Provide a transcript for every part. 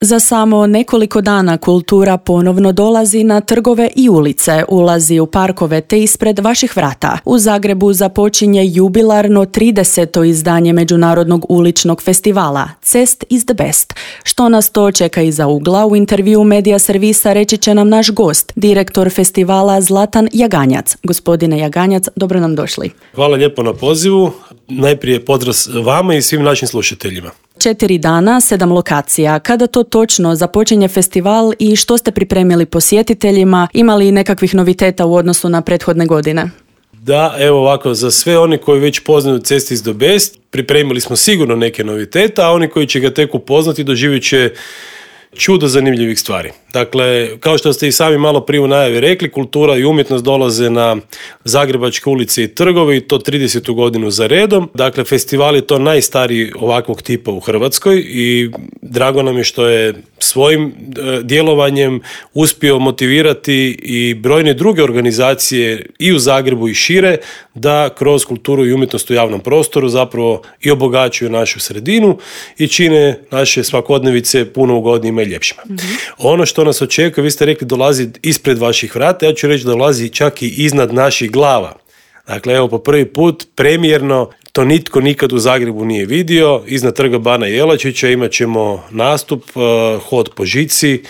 Za samo nekoliko dana kultura ponovno dolazi na trgove i ulice, ulazi u parkove te ispred vaših vrata. U Zagrebu započinje jubilarno 30. izdanje Međunarodnog uličnog festivala Cest is the best. Što nas to čeka iza ugla, u intervju Medija servisa reći će nam naš gost, direktor festivala Zlatan Jaganjac. Gospodine Jaganjac, dobro nam došli. Hvala lijepo na pozivu. Najprije pozdrav vama i svim našim slušateljima. 4 dana, 7 lokacija. Kada to točno započinje festival i što ste pripremili posjetiteljima? Ima li nekakvih noviteta u odnosu na prethodne godine? Da, evo ovako, za sve oni koji već poznaju Cest is the best, pripremili smo sigurno neke noviteta, a oni koji će ga tek upoznati doživjet će čudo zanimljivih stvari. Dakle, kao što ste i sami malo prije u najavi rekli, kultura i umjetnost dolaze na zagrebačke ulice i trgove i to 30. godinu za redom. Dakle, festival je to najstariji ovakvog tipa u Hrvatskoj i drago nam je što je svojim djelovanjem uspio motivirati i brojne druge organizacije i u Zagrebu i šire da kroz kulturu i umjetnost u javnom prostoru zapravo i obogaćuju našu sredinu i čine naše svakodnevice puno ugodnijima i ljepšima. Ono što nas očekuje, vi ste rekli, dolazi ispred vaših vrata, ja ću reći da dolazi čak i iznad naših glava. Dakle, evo, po prvi put premijerno, to nitko nikad u Zagrebu nije vidio, iznad trga Bana Jelačića imat ćemo nastup, hod po žici.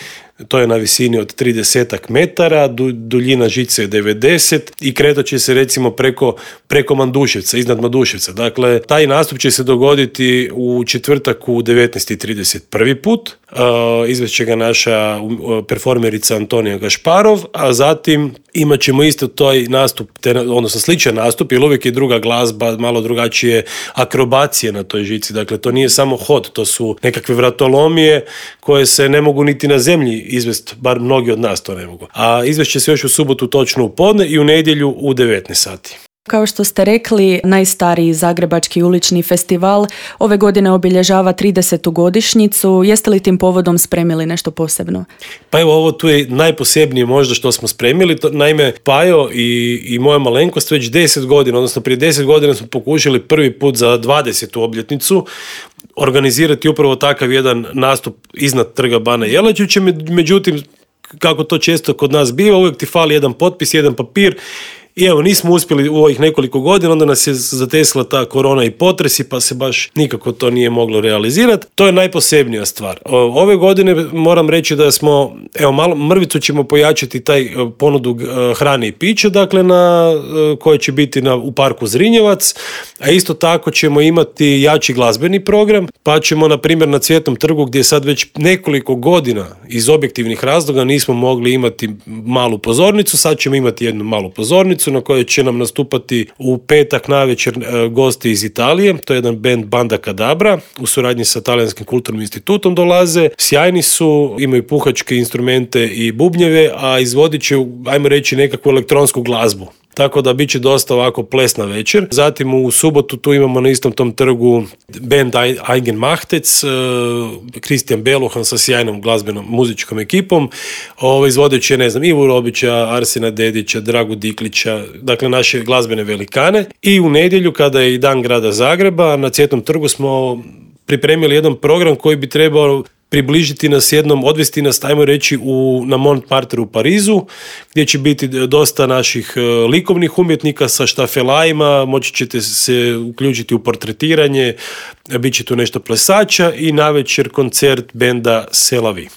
To je na visini od 30 metara, duljina žice je 90 i kretat će se recimo preko Manduševca, iznad Manduševca. Dakle, taj nastup će se dogoditi u četvrtak u 19:30 prvi put. Izvest će ga naša performerica Antonija Gašparov, a zatim imat ćemo isto taj nastup, odnosno sličan nastup, jer uvijek je druga glazba, malo drugačije akrobacije na toj žici. Dakle, to nije samo hod, to su nekakve vratolomije koje se ne mogu niti na zemlji izvest, bar mnogi od nas to ne mogu. A izvest će se još u subotu točno u podne i u nedjelju u 19 sati. Kao što ste rekli, najstariji zagrebački ulični festival ove godine obilježava 30. godišnjicu. Jeste li tim povodom spremili nešto posebno? Pa evo, ovo tu je najposebnije možda što smo spremili. Naime, Pajo i moja malenkost već 10 godina, odnosno prije 10 godina smo pokušali prvi put za 20. obljetnicu organizirati upravo takav jedan nastup iznad trga Bana Jelačića. Međutim, kako to često kod nas biva, uvijek ti fali jedan potpis, jedan papir. I evo, nismo uspjeli u ovih nekoliko godina, onda nas je zatesila ta korona i potresi, pa se baš nikako to nije moglo realizirati. To je najposebnija stvar. Ove godine moram reći da smo, evo, malo mrvicu ćemo pojačati taj ponudu hrane i pića, dakle, koje će biti u parku Zrinjevac, a isto tako ćemo imati jači glazbeni program, pa ćemo, na primjer, na Cvjetnom trgu, gdje sad već nekoliko godina iz objektivnih razloga nismo mogli imati malu pozornicu, sad ćemo imati jednu malu pozornicu na kojoj će nam nastupati u petak navečer gosti iz Italije. To je jedan band Banda Kadabra, u suradnji sa Talijanskim kulturnim institutom dolaze. Sjajni su, imaju puhačke instrumente i bubnjeve, a izvodit će, ajmo reći, nekakvu elektronsku glazbu. Tako da bit će dosta ovako plesna večer. Zatim u subotu tu imamo na istom tom trgu band Eigen Machtec, Kristijan Beluhan sa sjajnom glazbenom muzičkom ekipom. Izvodit će, Ivu Robića, Arsena Dedića, Dragu Diklića, dakle naše glazbene velikane. I u nedjelju, kada je i dan grada Zagreba, na Cvjetnom trgu smo pripremili jedan program koji bi trebao približiti nas jednom, odvesti nas, ajmo reći, na Montmartre u Parizu, gdje će biti dosta naših likovnih umjetnika sa štafelajima, moći ćete se uključiti u portretiranje, bit će tu nešto plesača i navečer koncert benda Selavi.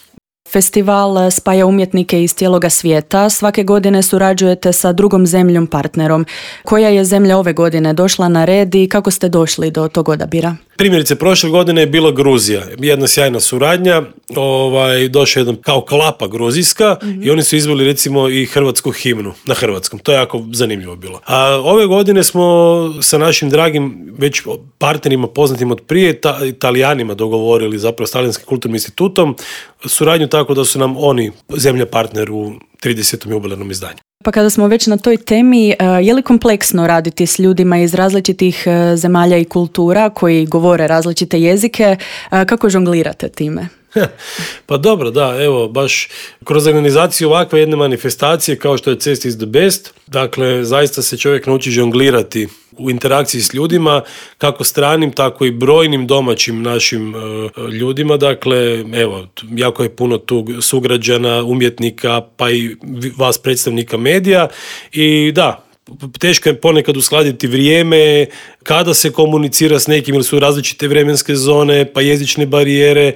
Festival spaja umjetnike iz cijeloga svijeta. Svake godine surađujete sa drugom zemljom partnerom. Koja je zemlja ove godine došla na red i kako ste došli do tog odabira? Primjerice, prošle godine je bila Gruzija. Jedna sjajna suradnja. Došla je jedan kao klapa gruzijska i oni su izveli recimo i hrvatsku himnu na hrvatskom. To je jako zanimljivo bilo. A ove godine smo sa našim dragim već partnerima poznatim od prije, Italijanima, dogovorili, zapravo s Talijanskim kulturnim institutom, suradnju tako da su nam oni zemlja partner u 30. jubilarnom izdanju. Pa kada smo već na toj temi, je li kompleksno raditi s ljudima iz različitih zemalja i kultura koji govore različite jezike? Kako žonglirate time? Pa dobro, da, evo, baš kroz organizaciju ovakve jedne manifestacije kao što je Cest is the best, dakle, zaista se čovjek nauči žonglirati u interakciji s ljudima, kako stranim, tako i brojnim domaćim našim ljudima, dakle, evo, jako je puno tu sugrađana, umjetnika, pa i vas predstavnika medija i da, teško je ponekad uskladiti vrijeme, kada se komunicira s nekim, ili su različite vremenske zone, pa jezične barijere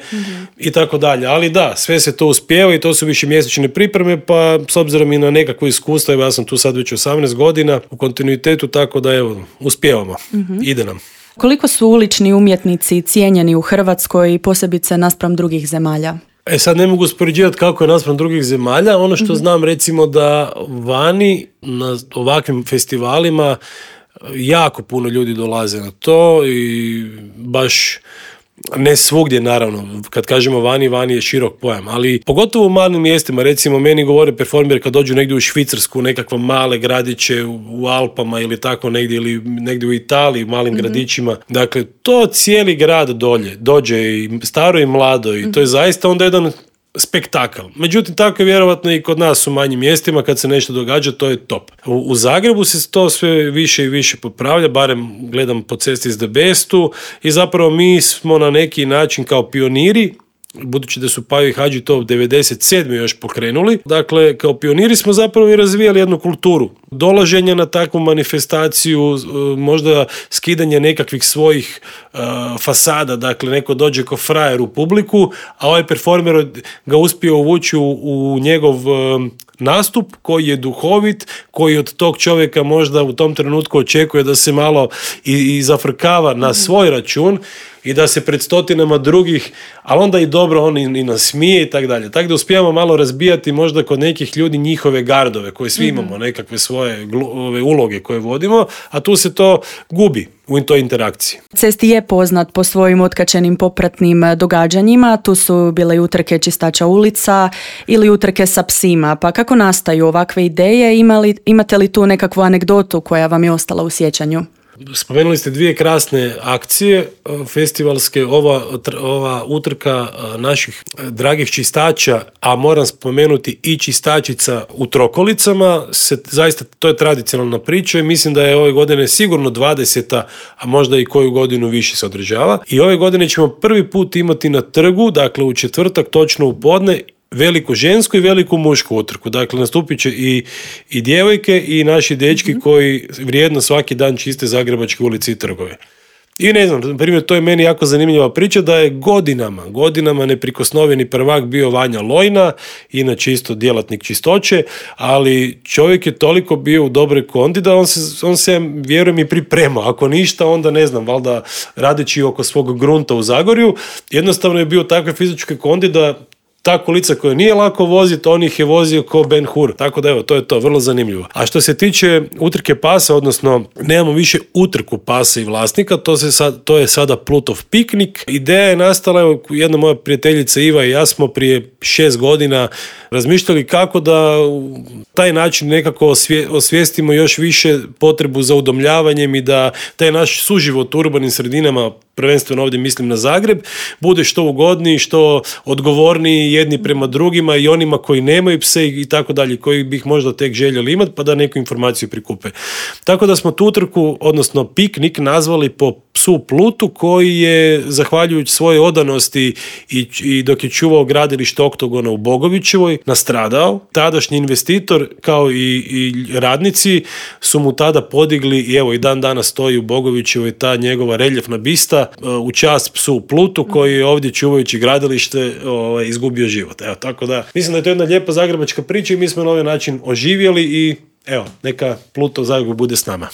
i tako dalje. Ali da, sve se to uspijeva i to su višemjesečne pripreme, pa s obzirom i na nekakvo iskustvo, evo ja sam tu sad već 18 godina u kontinuitetu, tako da evo, uspijevamo, ide nam. Koliko su ulični umjetnici cijenjeni u Hrvatskoj, posebice naspram drugih zemalja? Sad ne mogu uspoređivati kako je naspram drugih zemalja. Ono što znam, recimo, da vani na ovakvim festivalima jako puno ljudi dolaze na to i baš ne svugdje, naravno, kad kažemo vani je širok pojam, ali pogotovo u malim mjestima, recimo meni govore performeri kad dođu negdje u Švicarsku, nekakve male gradiće u Alpama ili tako negdje, ili negdje u Italiji, u malim gradićima, dakle to cijeli grad dođe i staro i mlado i to je zaista onda jedan spektakl. Međutim, tako je vjerovatno i kod nas u manjim mjestima, kad se nešto događa, to je top. U Zagrebu se to sve više i više popravlja, barem gledam po Cesti is the bestu i zapravo mi smo na neki način kao pioniri, budući da su Pajo i Hadži to 97. još pokrenuli. Dakle, kao pioniri smo zapravo i razvijali jednu kulturu dolaženja na takvu manifestaciju, možda skidanje nekakvih svojih fasada, dakle neko dođe ko frajer u publiku, a ovaj performer ga uspio uvući u njegov nastup koji je duhovit, koji od tog čovjeka možda u tom trenutku očekuje da se malo i zafrkava na svoj račun i da se pred stotinama drugih, ali onda i dobro on i nasmije i tako dalje. Tako da uspijemo malo razbijati možda kod nekih ljudi njihove gardove, koje svi imamo nekakve svoje uloge koje vodimo, a tu se to gubi u toj interakciji. Cest je poznat po svojim otkačenim popratnim događanjima, tu su bile i utrke čistača ulica ili utrke sa psima, pa kako nastaju ovakve ideje, imate li tu nekakvu anegdotu koja vam je ostala u sjećanju? Spomenuli ste dvije krasne akcije festivalske, ova utrka naših dragih čistača, a moram spomenuti i čistačica u Trokolicama, zaista to je tradicionalna priča i mislim da je ove godine sigurno 20. a možda i koju godinu više se održava. I ove godine ćemo prvi put imati na trgu, dakle u četvrtak točno u podne, veliku žensku i veliku mušku utrku. Dakle, nastupit će i djevojke i naši dečki koji vrijedno svaki dan čiste zagrebačke ulice i trgove. I ne znam, na primjer, to je meni jako zanimljiva priča da je godinama neprikosnoveni prvak bio Vanja Lojna, inače isto djelatnik čistoće, ali čovjek je toliko bio u dobroj kondi da on se vjerujem i pripremao. Ako ništa, onda ne znam, valjda radeći oko svog grunta u Zagorju, jednostavno je bio takve fizičke kondi da ta kolica koja nije lako voziti, on ih je vozio ko Ben Hur. Tako da evo, to je to, vrlo zanimljivo. A što se tiče utrke pasa, odnosno nemamo više utrku pasa i vlasnika, to je sada Plutov piknik. Ideja je nastala, evo, jedna moja prijateljica Iva i ja smo prije 6 godina razmišljali kako da u taj način nekako osvijestimo još više potrebu za udomljavanjem i da taj naš suživot u urbanim sredinama, prvenstveno ovdje mislim na Zagreb, bude što ugodniji, što odgovorniji jedni prema drugima i onima koji nemaju pse i tako dalje, koji bi ih možda tek željeli imati, pa da neku informaciju prikupe. Tako da smo tu utrku, odnosno piknik, nazvali po psu Plutu, koji je, zahvaljujući svojoj odanosti i dok je čuvao gradilište Oktogona u Bogovićevoj, nastradao. Tadašnji investitor, kao i radnici, su mu tada podigli, i evo i dan danas stoji u Bogovićevoj ta njegova reljefna bista u čast psu Plutu, koji je ovdje čuvajući gradilište izgubio život. Evo, tako da, mislim da je to jedna lijepa zagrebačka priča i mi smo na ovaj način oživjeli i evo, neka Pluto u Zagrebu bude s nama.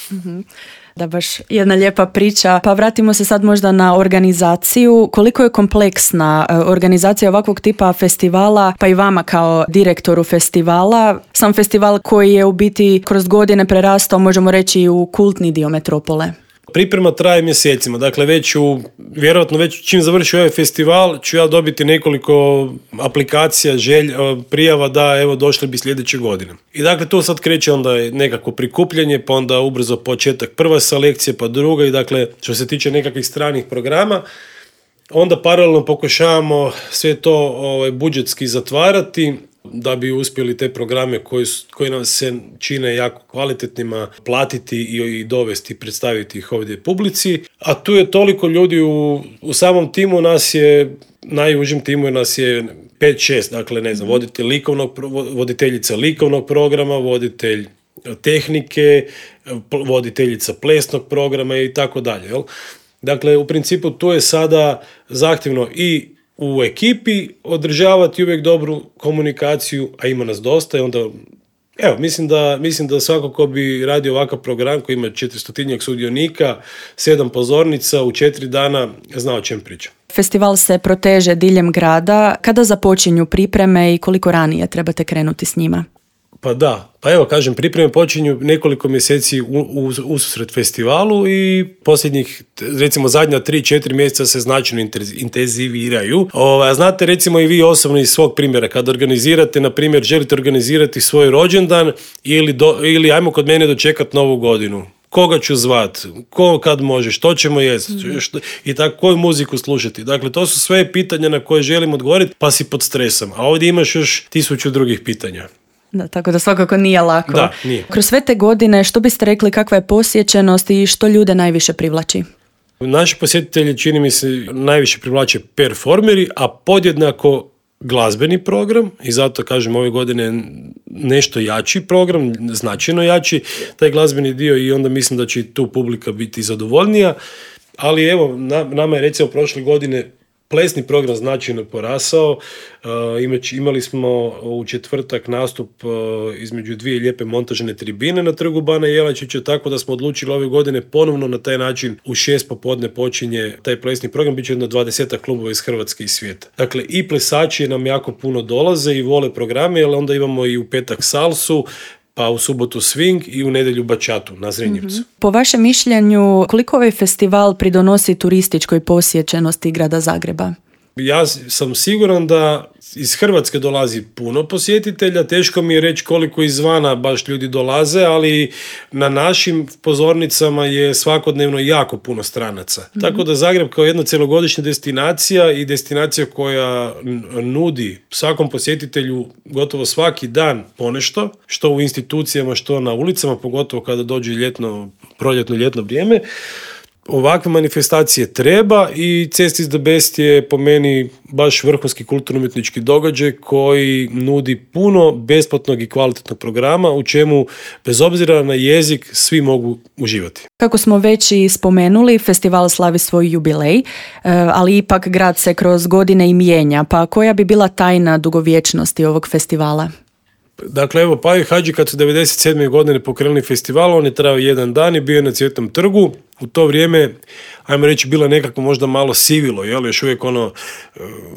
Da, baš jedna lijepa priča. Pa vratimo se sad možda na organizaciju. Koliko je kompleksna organizacija ovakvog tipa festivala, pa i vama kao direktoru festivala? Sam festival koji je u biti kroz godine prerastao, možemo reći, u kultni dio metropole. Priprema traje mjesecima, dakle vjerojatno već čim završi ovaj festival ću ja dobiti nekoliko aplikacija, prijava da evo došli bi sljedeće godine. I dakle tu sad kreće onda nekako prikupljanje, pa onda ubrzo početak prva selekcija, pa druga i dakle što se tiče nekakvih stranih programa, Onda paralelno pokušavamo sve to budžetski zatvarati da bi uspjeli te programe koji nam se čine jako kvalitetnima platiti i dovesti, predstaviti ih ovdje publici. A tu je toliko ljudi u samom timu, nas je, najužim timu nas je 5-6, dakle ne znam, voditeljica likovnog programa, voditelj tehnike, voditeljica plesnog programa i tako dalje. Dakle, u principu tu je sada zahtjevno i u ekipi održavati uvijek dobru komunikaciju, a ima nas dosta i onda, evo, mislim da svako ko bi radio ovakav program koji ima 400 sudionika, 7 pozornica u 4 dana, zna o čem pričam. Festival se proteže diljem grada. Kada započinju pripreme i koliko ranije trebate krenuti s njima? Pa evo kažem, pripreme počinju nekoliko mjeseci ususret festivalu i posljednjih, recimo zadnja 3-4 mjeseca se značajno intenziviraju. Znate recimo i vi osobno iz svog primjera, kad organizirate, na primjer, želite organizirati svoj rođendan ili ajmo kod mene dočekati Novu godinu. Koga ću zvat, ko kad može, što ćemo jesti i tako, koju muziku slušati. Dakle, to su sve pitanja na koje želim odgovoriti, pa si pod stresom. A ovdje imaš još 1000 drugih pitanja. Da, tako da svakako nije lako. Da, nije. Kroz sve te godine, što biste rekli, kakva je posjećenost i što ljude najviše privlači? Naši posjetitelji, čini mi se, najviše privlače performeri, a podjednako glazbeni program i zato kažem ove godine nešto jači program, značajno jači taj glazbeni dio i onda mislim da će i tu publika biti zadovoljnija, ali evo, nama je recimo prošle godine plesni program značajno porasao. Imali smo u četvrtak nastup između 2 lijepe montažne tribine na Trgu Bana Jelačića, tako da smo odlučili ove godine ponovno na taj način u 6 popodne počinje taj plesni program, bit će jedno 20 klubova iz Hrvatske i svijeta. Dakle, i plesači nam jako puno dolaze i vole programe, ali onda imamo i u petak salsu, pa u subotu swing i u nedjelju bačatu na Zrenjevcu. Po vašem mišljenju, koliko ovaj festival pridonosi turističkoj posjećenosti grada Zagreba? Ja sam siguran da iz Hrvatske dolazi puno posjetitelja, teško mi je reći koliko izvana baš ljudi dolaze, ali na našim pozornicama je svakodnevno jako puno stranaca. Tako da Zagreb kao jedna cjelogodišnja destinacija i destinacija koja nudi svakom posjetitelju gotovo svaki dan ponešto, što u institucijama, što na ulicama, pogotovo kada dođe proljetno-ljetno vrijeme. Ovakve manifestacije treba i Cest is the Best je po meni baš vrhunski kulturno-umjetnički događaj koji nudi puno besplatnog i kvalitetnog programa u čemu, bez obzira na jezik, svi mogu uživati. Kako smo već i spomenuli, festival slavi svoj jubilej, ali ipak grad se kroz godine i mijenja, pa koja bi bila tajna dugovječnosti ovog festivala? Dakle, evo, Pajo i Hadži kad su 1997. godine pokrenuli festival, on je trajao 1 dan i bio je na Cvjetnom trgu. U to vrijeme, ajmo reći, bilo nekako možda malo sivilo, jel? Još uvijek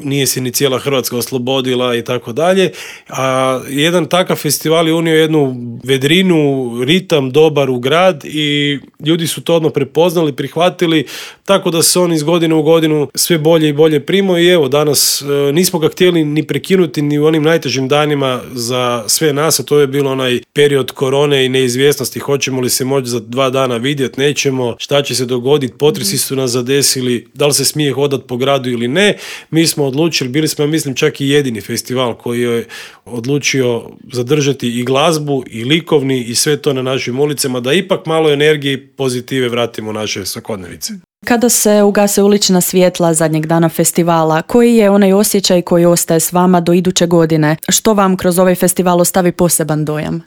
nije se ni cijela Hrvatska oslobodila i tako dalje. A jedan takav festival je unio jednu vedrinu, ritam dobar u grad i ljudi su to odmah prepoznali, prihvatili, tako da se on iz godine u godinu sve bolje i bolje primao i evo, danas nismo ga htjeli ni prekinuti ni u onim najtežim danima za sve nas, a to je bilo onaj period korone i neizvjesnosti, hoćemo li se moći za 2 dana vidjeti, nećemo, šta će se dogoditi, potresi su nas zadesili, da li se smije hodati po gradu ili ne. Mi smo odlučili, bili smo, mislim, čak i jedini festival koji je odlučio zadržati i glazbu i likovni i sve to na našim ulicama, da ipak malo energije i pozitive vratimo u naše svakodnevice. Kada se ugase ulična svjetla zadnjeg dana festivala, koji je onaj osjećaj koji ostaje s vama do iduće godine? Što vam kroz ovaj festival ostavi poseban dojam?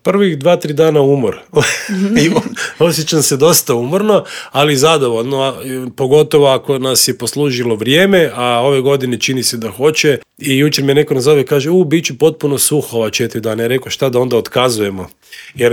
Prvih 2-3 dana umor. I osjećam se dosta umorno, ali zadovoljno, pogotovo ako nas je poslužilo vrijeme, a ove godine čini se da hoće. I jučer me neko nazove i kaže, bit će potpuno suho ova 4 dana. Ja rekao, šta da onda otkazujemo? Jer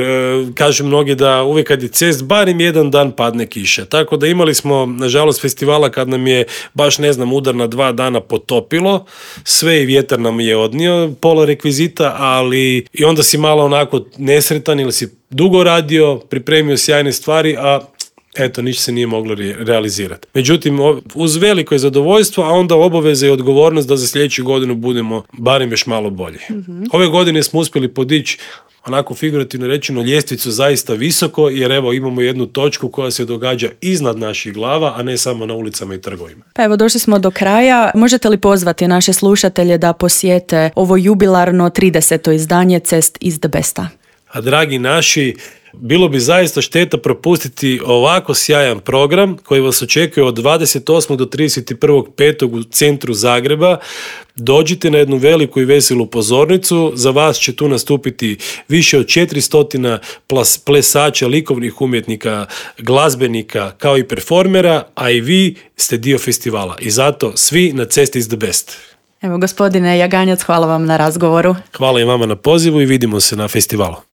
kažu mnogi da uvijek kad je Cest, barem 1 dan padne kiša. Tako da imali smo, nažalost, festivala kad nam je baš, udar na 2 dana potopilo. Sve i vjetar nam je odnio, pola rekvizita, ali i onda si malo onako nesretan ili si dugo radio, pripremio sjajne stvari, a eto, ništa se nije moglo realizirati. Međutim, uz veliko je zadovoljstvo, a onda obaveza i odgovornost da za sljedeću godinu budemo barem još malo bolji. Ove godine smo uspjeli podići onako figurativno rečeno ljestvicu zaista visoko, jer evo imamo jednu točku koja se događa iznad naših glava, a ne samo na ulicama i trgovima. Pa evo, došli smo do kraja. Možete li pozvati naše slušatelje da posjete ovo jubilarno 30. izdanje Cest iz the Besta? A dragi naši, bilo bi zaista šteta propustiti ovako sjajan program koji vas očekuje od 28. do 31.5. u centru Zagreba. Dođite na jednu veliku i veselu pozornicu. Za vas će tu nastupiti više od 400 plesača, likovnih umjetnika, glazbenika kao i performera, a i vi ste dio festivala. I zato svi na Cesti is the Best. Evo, gospodine Jaganjac, hvala vam na razgovoru. Hvala i vama na pozivu i vidimo se na festivalu.